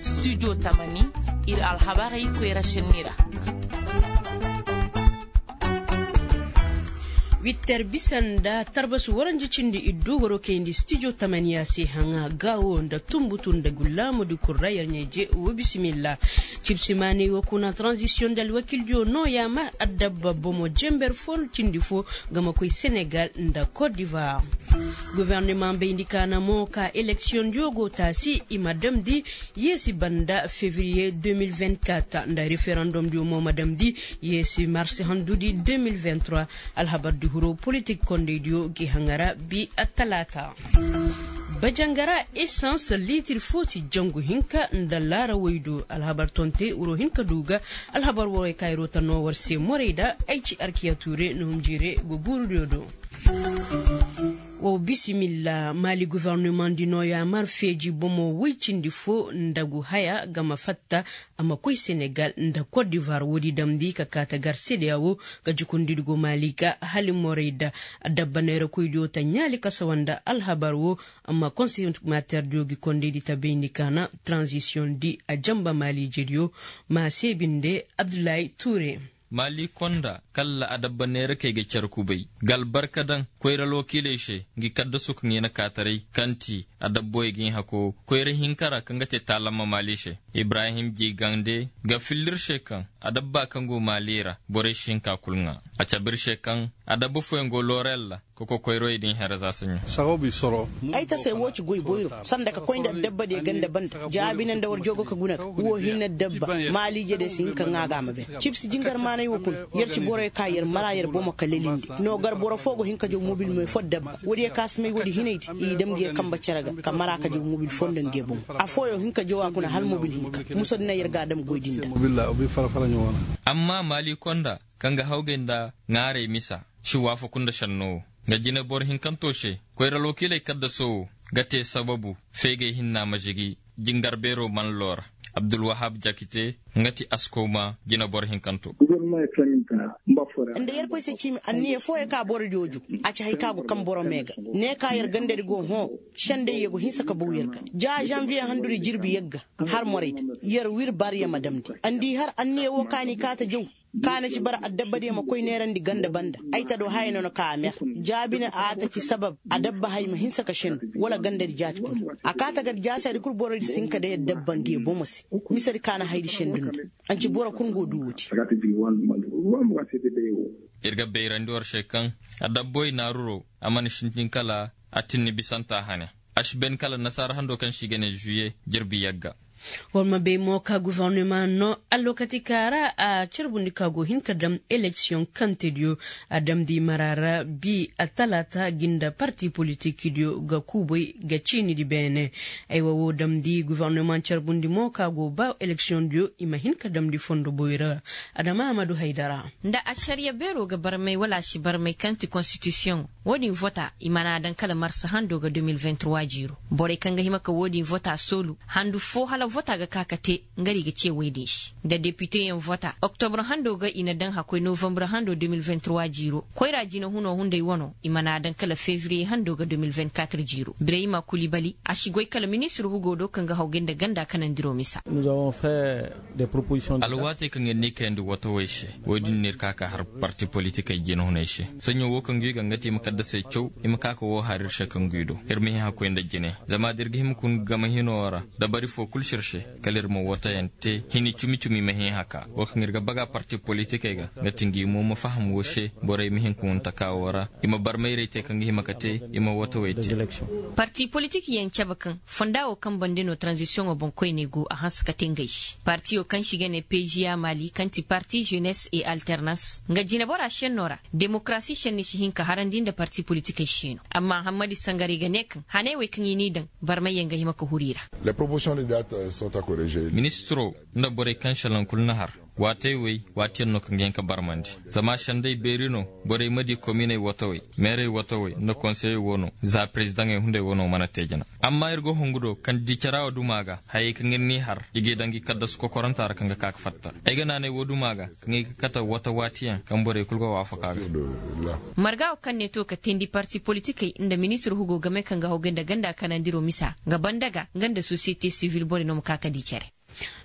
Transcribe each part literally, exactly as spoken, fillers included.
Studio tamani, ir alhabarey koyra senni ra. Witter bisa nda tarbas waranja cindi iddu waroo kayndi studio tamaniya se haŋa gaawo nda tumbutu nda gullaamudi kul ra yer ɲaa-ije. Wa bisimilla. Cibsi maaney wo kuna tranzisiyoŋ nda alwakildiyo nooya ma adabba bomo jenber fo cindi fo ga ma koy senegal nda kot divoir. Gofornima bayndi kaana mo ka eleksiyondiyo go taasi i ma damndi yeesi banda fevriye deux mille vingt-quatre nda referendomdiyo mo ma damndi yeesi marsi handudi deux mille vingt-trois. Alhabardi hiro politik kondaydiyo gi haŋa ra bi attalaata. Bajangara esans liitir fo si jangu hinka nda laarawey do alhabar tonte wuro hinka du ga. Alhabar warey kaŋ ay roota no war se morey da ay ci arkiya tuure no hunjire go guurudiyo do. Wow bisimilla maali gofornimandi nooya mar feeji bomo woy cindi fo nda gu haya ga ma fatta a ma koy senegal nda kot divoir woodi damndi ka kaata gar sedeya wo. Ka jukundidi go maali ga hali morey da adabba neerakoydiyo ta ɲaali kasawa nda alhabar wo. Amma konseyi materdiyo gi kondaydi ta bayndi kaana tranzisiyoŋ di a janba maali ijediyo. Ma se binde abdullahi tuure. Maali konda kalla adabba neerakey ga car kubay ga albarka daŋ koyra alwakiiley se ngi kaddasu kaŋ i na kaataray kaŋ ti adabboyey ga hin hako koyra hinka ra kaŋ ga te taalamma maali se. Ibrahim jigande ga filla ir se kaŋ adabba kaŋ go maali ra borey si hin ka kul ŋaa. A cabe ir se kaŋ adabba fooyaŋ go looray alla ka kokoyroyey din here za saɲo. Ay tasay wo ci goy boyro sanda ka koy nda adabba diyo ganda banda jaabine nda war joogo ka guna ga wo hin na adabba maaliije diyo si hin ka ŋaa ga a ma bay. Cibsi jingar maanay wo kuna yer ci boroyo ka yer mara yer bomo ka lelindi no gar boro fo go hin ka jaw mobil me fo adabba woodiyo ka si may woodi hinay di i dam ngi yer kamba cere ga ka mara ka jaw mobil fo nda ngi yer bomo. Affooyo hin ka jaw a kuna hala mobil hinka muso di na yer ga a dam goy di nda. Amma maali konda kaŋ ga hawgay nda ŋaaray misa si waafaku nda šenno wo. Nga jineboro hinkanto se koyra alwakiiley kaddaso wo ga te sababu feegay hinna ma žigi jingar beero man loora. Abdulwahab jakite nga ti askowma jineboro hinkanto. Nda yerkoy se ciimi anniya fooyo ka boro jooju a ci hay ka go kaŋ boro mee ga ne ka yer gandadi go hõ. Sendey ye go hinsa ka baw yer ga ja žanviye handudi jirbi yagga har moraydi yer wir bar yer ma damndi. Andi har anniya wo ka ni kaata jaw ka na ci bara adabba diyo ma koy neerandi ganda banda. Ay ta do haya no na ka a mer jaabine a ta ci sabab adabba hay ma hinsa ka sendu wala gandadi jaati kuna. A kaata gar jaasadi kul borodi si hin ka day adabba nge bomo se. Misedi ka na haydi sendu nda anci boro kul ngo du woodi. Ir ga bayrandi war se kaŋ adabboy naaruro a mana sintin kala a tinni bisanta hane. A si ben kala nasaara hando kaŋ se i ga ne žuwiye jirbi yagga. War ma bay mo ka gofornima no allookati ka ra a carbundi ka go hin ka dam eleksiyoŋ kantediyo. A damndi mara ra bi attalaata gi nda parti politikdiyo ga kuubay ga ciinidi beene. Aywa woo damndi gofornima carbundi mo ka go ba eleksiyoŋdiyo i ma hin ka damndi fondo boy ra. Adama ahmadu haydara. Nda ašariya beeroo ga barmay wala a si barmay kaŋ ti konstitisiyoŋo, woo din vota i mana a daŋ kala marsa handoo ga deux mille vingt-trois jiiroo. Borey kaŋ ga hima ka woo din vota soolu handu foo hala vota ga ka ka te, nga di ga cee woy din se nda depiteyaŋ vota oktobra handoo ga i na daŋ hakkoy novambra handoo deux mille vingt-trois jiiroo. Koyraa jinehunoo hunday wanoo i mana a daŋ kala fevriye handoo ga deux mille vingt-quatre jiiroo birayima kulibali a si goy kala ministir hugoo do kaŋ ga hawgay nda ganda kanandiroo misa. Alwaatey kaŋ ir n'i kayandi watawey se, woy din no ir ka ka har parti politikey jinehuney se. Saɲɲo woo kaŋ guy ga nga ti i ma kaddasey caw, i ma ka ka woo har ir se kaŋ guy do ir ma hin hakkoy nda jine. Zama da ir ga hima kun gama hinoo ra dabari foo kul si ir se, kala ir ma watayaŋ te hini cumi-cumi ma hin haka woo kaŋ ir ga baga parti politikey ga. Nga ti ngi mo ma faham woo se, borey ma hin ka hun taka woo ra, i ma barmayray te kaŋ ga hima ka te, i ma watawey te. Parti politikyaŋ cabe kaŋ fonda woo kaŋ bande no taranzisiyoŋo boŋkoyney go a hanse ka te ngey se. Partiyo kaŋ se i ga ne peziya mali kaŋ ti parti ženes et alternans nga jineboraa šennoo ra, demokarasi šenni si hin ka harandi nda parti politikey šeenoo. Amma hammadi sangaray ga ne kaŋ haney wey kaŋ i n'i daŋ, barmayyaŋ ga hima ka huru i ra. Ministiroo nda borey kaŋ šelaŋ kul na har. Waatey wey waatiyaŋ no kaŋ ga hin ka barmandi. Zama sendey beeri no borey ma di kominey watawey, meerey watawey nda konseyey wo no. Za perezidaŋey hunday wo no mana te jina. Amma ir go hungu do kaŋ di cara wo duma ga hayey kaŋ ir n'i har i g'i daŋ gi kaddasu kokoranta ra kaŋ ga ka ga fatta. Ay ga naanay wo duma ga kaŋ i ga kate wata waatiyaŋ kaŋ borey kulu ga waafaka ga. Marga wo kaŋ ne to ka teendi parti politikey nda ministir hugo game kaŋ ga hawgay nda ganda kanandiro misa ga banda ga nga nda sosiyete sivil borey no ma ka ka di cere.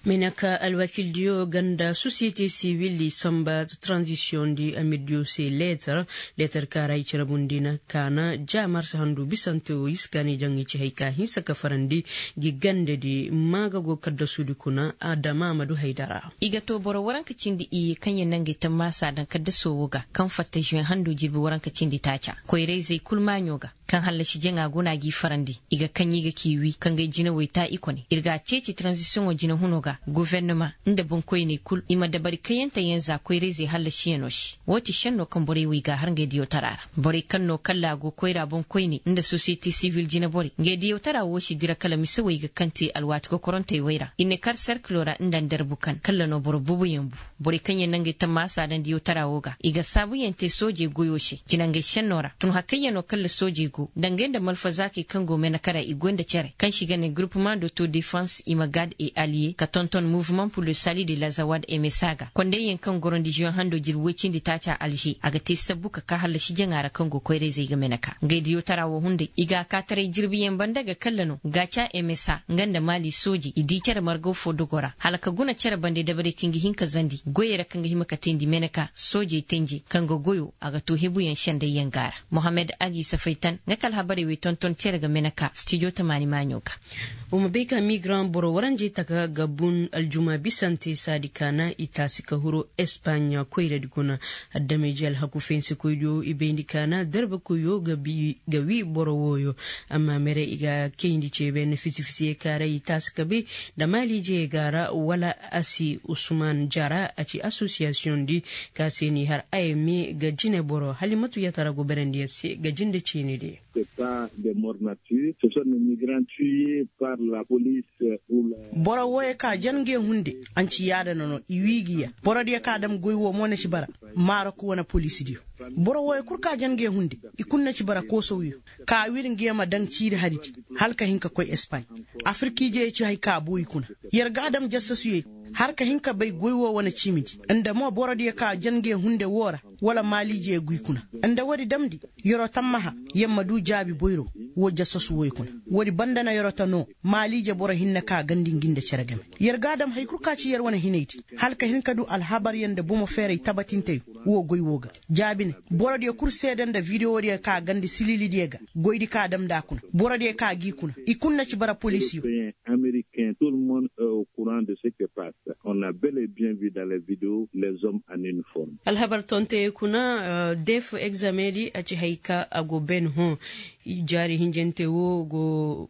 Meneka alwakildiyo ganda sosiyete sivil di samba taranzisiyoŋ di amirdiyo se leetar. Leetar kaara i cere bundi na kaana ja marsa handu bisante wo i si kaani jaŋ i ci hay ka hinsa ka farandi gi gande di. Maaga go kaddasudi kuna adama ma du haydara. I ga to boro waranka cindi iyye kaŋ yaŋ na ngey tammaasa daŋ kaddaso wo ga kaŋ fatta žuwen hando jirbi waranka cindi taaca koyra-izey kul maaɲo ga. Kaŋ hallasi jaŋa guna g'i farandi i ga kaŋ i ga k'i wi ka ngey jinawey ta i kone ir g'a ceeci taranzisiyoŋo jinahuno ga gofornama nda boŋkoyney kul i ma dabari kayante yaŋ za koyra-izey hallasiyaŋo se. Woo ti šenno kaŋ borey wo i g'a har ngey diyawtara ra. Borey kaŋ no kalla a go koyra boŋkoyney nda sosiyete sivil jineborey ngey diyawtara wo si dira kala misewey ga kaŋ te alwaati kokorantey wey ra i ne kar serkilo ra nda ndarbu kaŋ kalla no boro booboyaŋ bu. Borey kaŋ yaŋ na ngey tammaasa daŋ diyawtara wo ga i ga saabuyaŋ te soojey goyo se jinangey šenno ra tun hakayyaŋo kaŋ ra soojey go dangey nda malfazaakey kaŋ go meneka ra i goy nda cere kaŋ se i ga ne gurupumaŋ de autodefans i ma gaad e aliye ka tonton muvumaŋ pur le sali de lazawad emesa ga kondayyaŋ kaŋ gorondi ziyoŋ hando jirbi woy cindi taaca alže a ga te sabbu ka ka hallasi jaŋa ra kaŋ go koyra-izey ga meneka ngey diyawtara wo hunday i g'a kaataray jirbiyaŋ banda ga kalla no gaaca emesa nga nda maali soojey i di cere margaw fo dogo ra hala ka guna cere bande dabarey kaŋ ga hin ka zandi goyey ra kaŋ ga hima ka teendi meneka soojey tenje kaŋ ga goyo a ga to hebuyaŋ sendayyaŋ ga ra. Mohammed agi safaytan nga ka alhabarey wey tonton cere ga meneka stijo tamaani maaɲo ga. Wa ma bay ka migran boro waranjey taka ga bun aljuma bisante saadi kaana i taasi ka huru espaaɲa koyradi kuna. Addamayje alhaku fensekoydiyo i bayndi kaana darbakoyyo ga wi boro wooyo. Amma mere i ga kayndi ceebe nda fisi-fisiye ka ra i taasi ka bay nda maaliijey ga ra wala a si usman jara a ci asosiyasiyoŋ di ka se n'i har a ye me ga jine boro halimatu yatara go berandiyaŋ se ga jinde ciini di. Boro wooyo ka jan nge hunde. Anci yaadana no i wii gi yer borodiyo ka dam goy woo mo na ci bara. Marok wane poliisidiyo boro wooyo kul ka jan nge hunde. I kul na ci bara koosowyo ka wir nge ma daŋ ciiri haridi hala ka hin ka koy espaaɲ. Afirkiijeyo ci hay ka buu i kuna. Yer ga a dam jassasuyo yer har ka hin ka bay goy woo wane ciimidi nda mo borodiyo ka jan nge hunde woo ra wala maaliijeyo guy kuna. Nda woodi damndi yer'o tammaha yer ma du jaabi boyro. Woo jassasu wooyo kuna woodi banda na yer'o ta noo maaliije boro hinne ka gandi ngi nda cere game. Yer ga a dam hay kul ka ci yer wane hinaydi hala ka hin ka du alhabaryaŋ nda bomo feeray tabatinteyo. Woo goy woo ga jaabine borodiyo kul seede nda videwodiyo ka gandi sililidiyo ga goydi ka dam nda a kuna borodiyo ka g'i kuna i kul na ci bara poliisiyo. Ameriken tolmon e o kuran de se ke pas. On a bel e bien vi dan le video les hommes en uniforme. Alhabar tonte kuna def egzamedi a ci hay ka a go ben hõ. Jaari hinjante wo go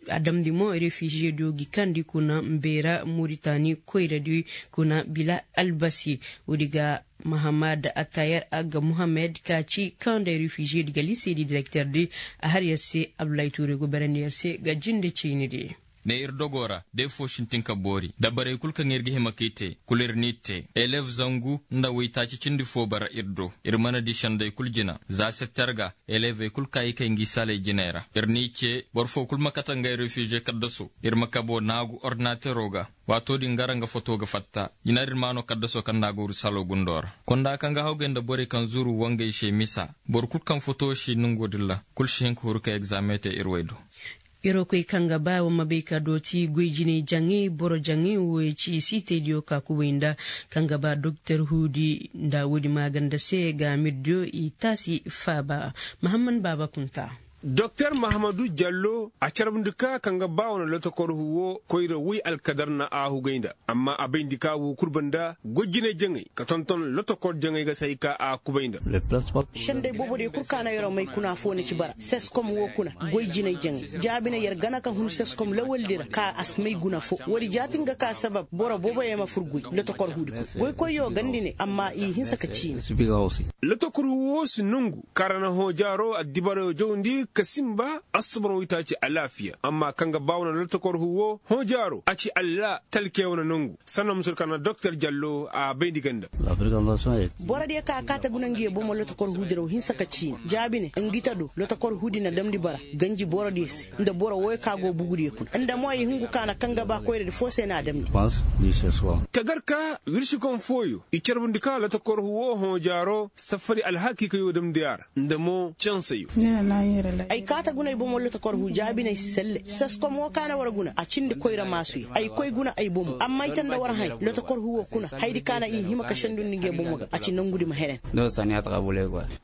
a damndi mo refiziye do gi kandi kuna mbeera moritani koyradi kuna bila albasi. Woodi ga mahamad atayar agga muhammed ka ci kaŋ day refiziye di ga liseedi direkter di. A har yer se abdulahi tuure go berandi yer se ga jinde ciini di. Ne ir dogoo ra day foo sintin ka boori dabarey kul kaŋ ir ga hima k'i te kul ir n'i te elev zangu nda waytaaci cindi foo bara ir do. Ir mana di senday kul jina za setter ga elevey kul ka i kay ngi saley jiney ra ir n'i ce boro foo kul ma kate ngay refize kaddasoo. Ir ma kaboo naagu ordinateroo ga waatoo din gara nga fotoo ga fatta. Jina din maanoo kaddasoo kaŋ nda a go ir saloo gundoo ra konda kaŋ ga hawgay nda borey kaŋ zuru wangey se misa. Boro kul kaŋ fotoo si nongoo din ra kul si hin ka huru ka egzame te ir way do. Irokoy kaŋ ga ba wa ma bay ka dooti goy jinay jaŋay boro jaŋay wo ya ci siitaydiyo ka kubay nda kaŋ ga ba doktor huudi nda woodi maaganda se ga mirdiyo i taasi faaba. Mahamman baaba kunta. Doktor mahamadu jallo a carbundi ka kaŋ ga ba wa na lotokor huwo koyra woy alkadar na a hugay nda. Amma a bayndi ka wo kul banda goy jinay jaŋay ka tonton lotokor jaŋay ga se hay ka a kubay nda. Senday boobodiyo kul ka na yeroo may kuna afoo na ci bara seskom woo kuna. Goy jinay jaŋay jaabi na yer gana ka hun seskom lawaldi ra ka a si may guna foo woodi jaati nga ka sabab boro booboyo ma fur goy lotokor huudi kuna goykoyyo gandi ne amma i hinsa ka ciini. Lotokor huwo si nongu kaŋ ra na hõ jaaro addibarayo jawndi. ka sinba assubur woy taaci alaafiya amma kaŋ ga ba wane lotokor huwo hõ jaaro a ci alla talke wane nangu sanna musul kaŋ na doktor jallo a bayndi ganda. Borodiyo kaŋ a kaate guna nga ye bomo lotokor huu diraw hinsa ka ciini jaabi ne ngi ta do lotokor huu di na damndi bara ganji borodiyo se nda boro wooyo kaŋ a go bugudiyo kuna nda mo ay hungu kaŋ a na kaŋ ga ba koyradi foo se no a damndi. Tagarka wirsikom fooyo i carbundi ka lotokor huwo hõ jaaro safari alhakiikayo damndi a ra nda mo canseyo. Ay kaata guna ay bomo lotokor hu jaabi no ay si selle seskom wo kaana war guna a cindi koyra maasuya ay koy guna ay bomo amma ay tanda war hãy lotokor hu wo kuna haydi kaana i hima ka sendundi nge bomo ga a ci nangudi ma henen.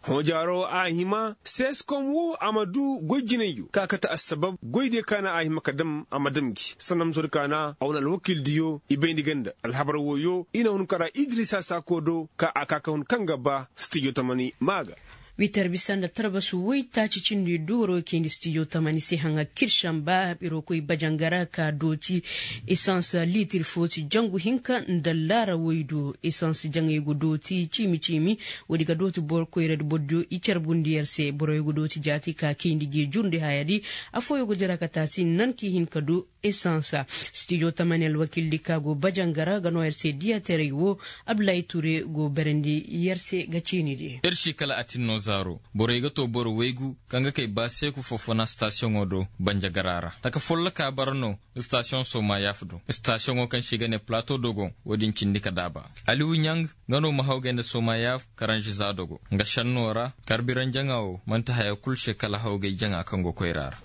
Hõ jaaro a hima seskom wo a ma du goy jinayyo ka kate assabab goydiyo kaana a hima ka dam a ma dam gi sanda musodi kaana a wane alwakiildiyo i bayndi ganda alhabar wooyo i na hun kara idrisa saako do ka a ka ka hun kaŋ ga ba stijo tamani maa ga. Wiitar bisa nda tarbasu woy taaci cindi duwaro kayndi stijo tamani se haŋa kirsan ba biro koy bajangara ka dooti esans liitir fo si jangu hinka nda laara woy do esans jaŋey go dooti ciimi ciimi. Woodi ga dooti boro koyradi borodiyo i carbundi yer se boroyo go dooti jaati ka kayndi ge jurndi hayadi. Affooyo go dira ka taasi nan ka i hin ka du esans. Stijo tamani alwakiildi ka go bajangara ga no yer se diyateray wo abdulahi ture go berandi yer se ga ciinidi. Ir si kala atinno zaaro borey ga to boro waygu kaŋ ga kay ba seeku fofona stasiyoŋo do banjagara ra taka folloka bara no. Stasiyoŋ somayaf do stasiyoŋo kaŋ se i ga ne plato dogon wo-din cindi ka daaba. Aliwu ɲang nga no ma hawgay nda somayaf karanzi za dogo nga senno ra karbiranjaŋa wo man'ti haya kul se kala hawgay jaŋa kaŋ go koyra ra.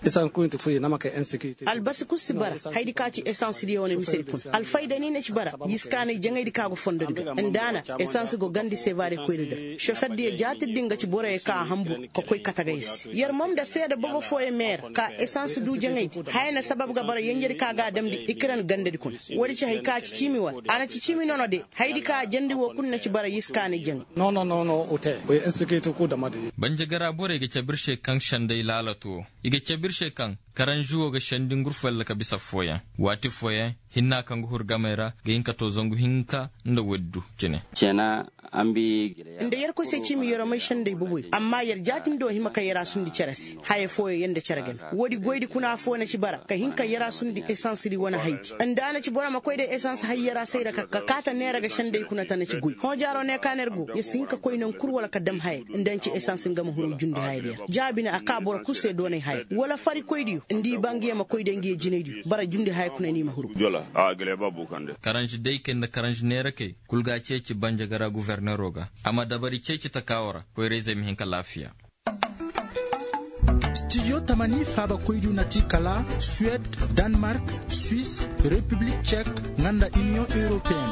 Albasi kul si bara hayadi ka ci esans diyo wane misedi kuna alfayda ni na ci bara yiskaanay jaŋaydi ka go fondodi ga nda a na esans go gandi sevare koyra dira sofer diyo jaatir din ga ci boroyo ka a hanbur ka koy katagay se yer mom nda seeda bobo fooyo meer ka esans du jaŋaydi haya na sabab ga bara yenjedi ka ga a damndi ikiran gandadi kuna. Woodi ci hay ka ci ciimi wala a na ci ciimi nono de hayadi ka a jandi wo kul na ci bara yiskaanay jaŋay. Banjagara borey ga cabe ir se kaŋ senday laalato i ga cabe ir se kaŋ karanzi wo ga sendi ngurfo yalla ka bisa fooyaŋ waati fooyaŋ hinna kaŋ ga hur gamey ra ga hin ka to zangu hinka nda woodi du cine. Nda yerkoy se ciimi yeromey senday boboy amma yer jaatindi wo hima ka yera sundi cere se haya fooyo yer nda cere game. Woodi goydi kuna affooyo na ci bara ka hin ka yera sundi esansidi wane haydi nda a na ci boro ma koy day esans hay yera sayra ka kaata neera ga senday kuna ta na ci goy hõ jaaro ne ka neer go yer si hin ka koy naŋ kul wala ka dam haya nda ni ci esans nga ma huru jundi hayadiyo ra jaabi ne a ka boro kul se doonay haya wala farikoydiyo nda i ba ngiyo ma koy day ngiyo jinaydiyo bara jundi haya kuna ni ma huru. Karanzi daykey nda karanzi neerakey kul ga a ceeci banjagara gufornero ga a ma dabari ceeci takaawo ra koyra-izey ma hin ka laafiya. Stijo tamani faabakoydiyo na ti kala suwed, danmark, swis, repiblik cek, nga nda iniyoŋ europeyen.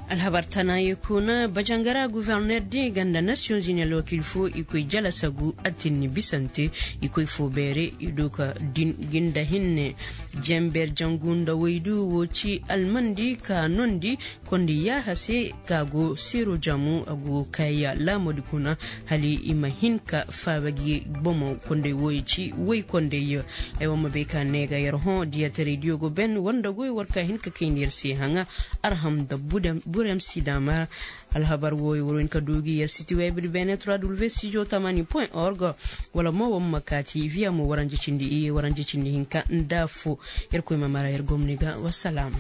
Alhabar tanaayey kuna bajangara guforner din ga nda nasiyoŋ zini alwakiil fo i koy jalasagu atinni bisante i koy fo beere i du ka din ginda hinne. Jenber jangu nda waydu wo ci almandi ka nondi kondi yaaha se ka go seero jamu a go kayya laamodi kuna hala i ma hin ka faaba gi bomo kondey wooyo ci woy kondey. Ay wa ma bay ka ne ga yer hõ diyatarey diyo go ben war nda goy war ka hin ka kayndi yer se haŋa arham nda burem si daama. Alhabar wooyo war hin ka du gi yer siti web di beene trois w studio tamani point org. Wala mo war ma kaati viya mo waranja cindi iye waranja cindi hinka nda fo. Yerkoy ma mara yer gomni ga wasalaama.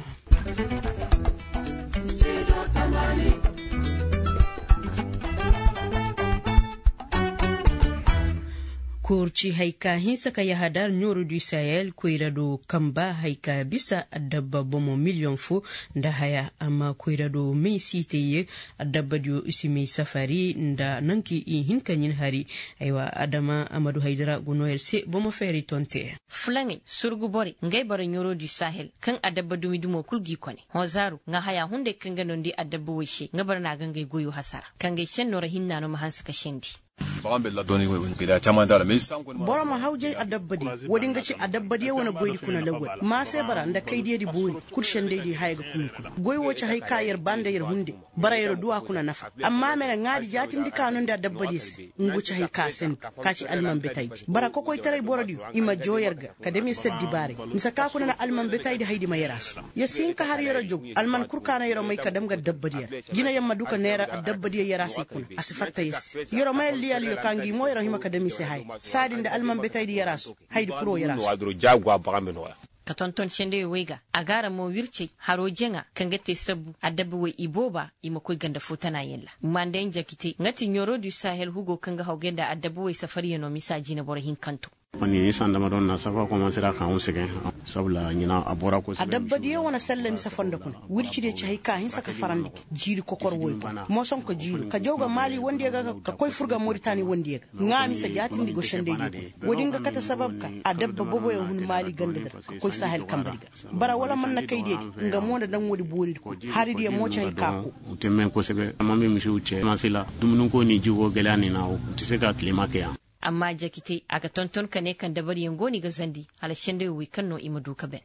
Koor ci hay ka hinsa ka yahadar ɲooro du sahel koyra do kamba hay ka bisa adabba bomo miliyoŋ fo nda haya amma koyra do may siitey ye. Adabbadiyo i si may safari nda nanki i hin ka ɲin hari. Aywa adama amadu haydara go no yer se bomo feeri tonte. Fulaŋey surgu borey ngay boro ɲooro du sahel kaŋ adabba dumi dumo kul g'i kone hõ zaaru nga haya hunday kaŋ ga nondi adabba woy se nga boro na ga ngay goyo hasara kaŋ gay senno ra hinna no ma hanse ka sendi. Boro ma hawjay adabbadiyo wo-din ga ci adabbadiyo wane goydi kuna lawwal maase bara nda kaydiyadi boori. Kul sendaydi haya ga kumi kuna goy wo ci hay ka yer ba nda yer hunde. Bara yer du a kuna nafa amma mere ŋaadi jaatindi ka no nda adabbadiyo se ngu ci hay ka sandi. Ka ci alman betaydi bara kokoytaray borodiyo i ma joo yer ga ka dam yer se addibaaray. Mise ka kuna na alman betaydi haydi ma yer a su yer si hin ka har yer a jogu alman kul ka na yer a may ka dam ga addabbadiyo ra. Jinayaŋ ma du ka neera addabbadiyo yer a se kuna a si fatta yer se yer a may. Yalyo ka ngi mo yer hima ka dam i se haya saadi nda almanbetaydi yaraasu. Haydi kuro yaraasu. Ka tonton sendey wey ga a ga ara mo wircey haroo jaŋa kaŋ ga te sabbu adabba wey ibooba i ma koy ganda foo tanayaŋ ra. Mandayaŋ jakite nga ti ɲoro du sahel hugo kaŋ ga hawgay nda adabba wey safaryaŋo misa jineboro hinkanto. Ni sanda ma doŋ na safa komansira ka hun segen. Sabula ɲina a bora koy segen. Adabbadiyo wane salla misa fondo kuna wircidiyo ci hay ka hinsa ka farandi ga jiiri kokor woy ga moson ka jiiro ka jaw ga maali wondiyo ga ka koy fur ga moritani wondiyo ga ŋaa misa jaatindi go sendaydiyo kuna. Woodi nga kate sabab ka adabba boboyo hun maali gandadi ra ka koy sahel kambadi ga. Bara wala man na kaydiyadi nga mo na daŋ woodi booridi kuna haridiyo mo ci hay ka ko. Temmen kosebe amma me misi wuce masila dumunin ko ni jigo gele a ni na wo. Ti se ka tilema ke yaŋ. Amma jakitey a ga tonton ka ne kaŋ dabariyaŋ go no i ga zandi hala senday wey kaŋ no i ma du ka ben.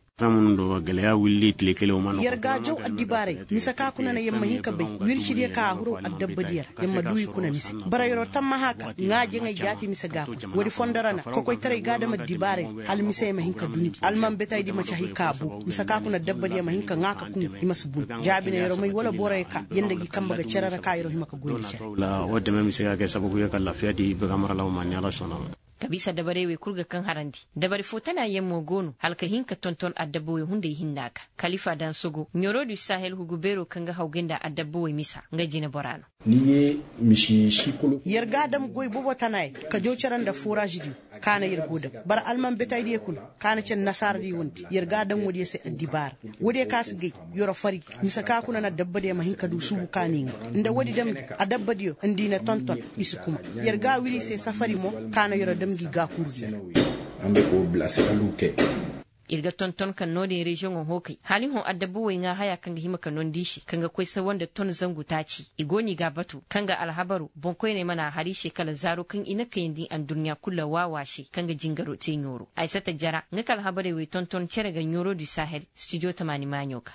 Yer ga jaw addibaaray mise ka kuna na yer ma hin ka bay wircidiyo ka a huraw addabbadiyo ra yer ma du i kuna mise. Bara yeroo tammaha ka ŋaa jaŋay jaati mise ga kuna woodi fondo ra na kokoytaray ga a dam addibaaray hala misey ma hin ka dundi almanbetaydi ma ci hay ka boo mise ka kuna addabadiyo ma hin ka ŋaa ka kun i ma si bun. Jaabi na yeroo may wala boroyo ka yer nda gi kambe ga cere ra ka yeroo hima ka goy nda cere. Wo deme mise ga kay sababu ye ka lafiya di baga maralaw ma ni ala sona. Ka bisa dabarey wey kul ga kaŋ harandi dabari foo tanaayaŋ mo go no hala ka hin ka tonton adabba wey hunday hinna ga. Kalifa dansogo ɲoroo du sahel hugu beeroo kaŋ ga hawgay nda adabba wey misa nga jineboraa no. Yer ga a dam goy bobo tanaayey ka jaw cere nda foraazdiyo ka na yer go dam bara almanbetaydiyo kuna ka na cere nasaaradiyo wandi yer ga a dam woodiyo se addibaara. Woodiyo ka si gay yoro fari mise ka kuna na dabbadiyo ma hin ka du suubu ka n'i ŋaa nda woodi damndi adabbadiyo nda i na tonton. I si kuma yer ga a wiri i se safari mo ka na yoro dam ngi gaakurudiyo. Ir ga tonton kaŋ no-din reziyoŋo hookay hala i hõ adabba wey ŋaa haya kaŋ ga hima ka nondi i se kaŋ ga koy sawa nda ton zangu taaci i go no i ga a batu kaŋ ga alhabaru boŋkoyney mana a har i se kala zaaro kaŋ i na kayandi adduɲɲa kul ra waawaa se kaŋ ga jingaro te ɲooro aysata jara nga ka alhabarey wey tonton cere ga ɲooro du sahel. Stijo tamaani maaɲo ga.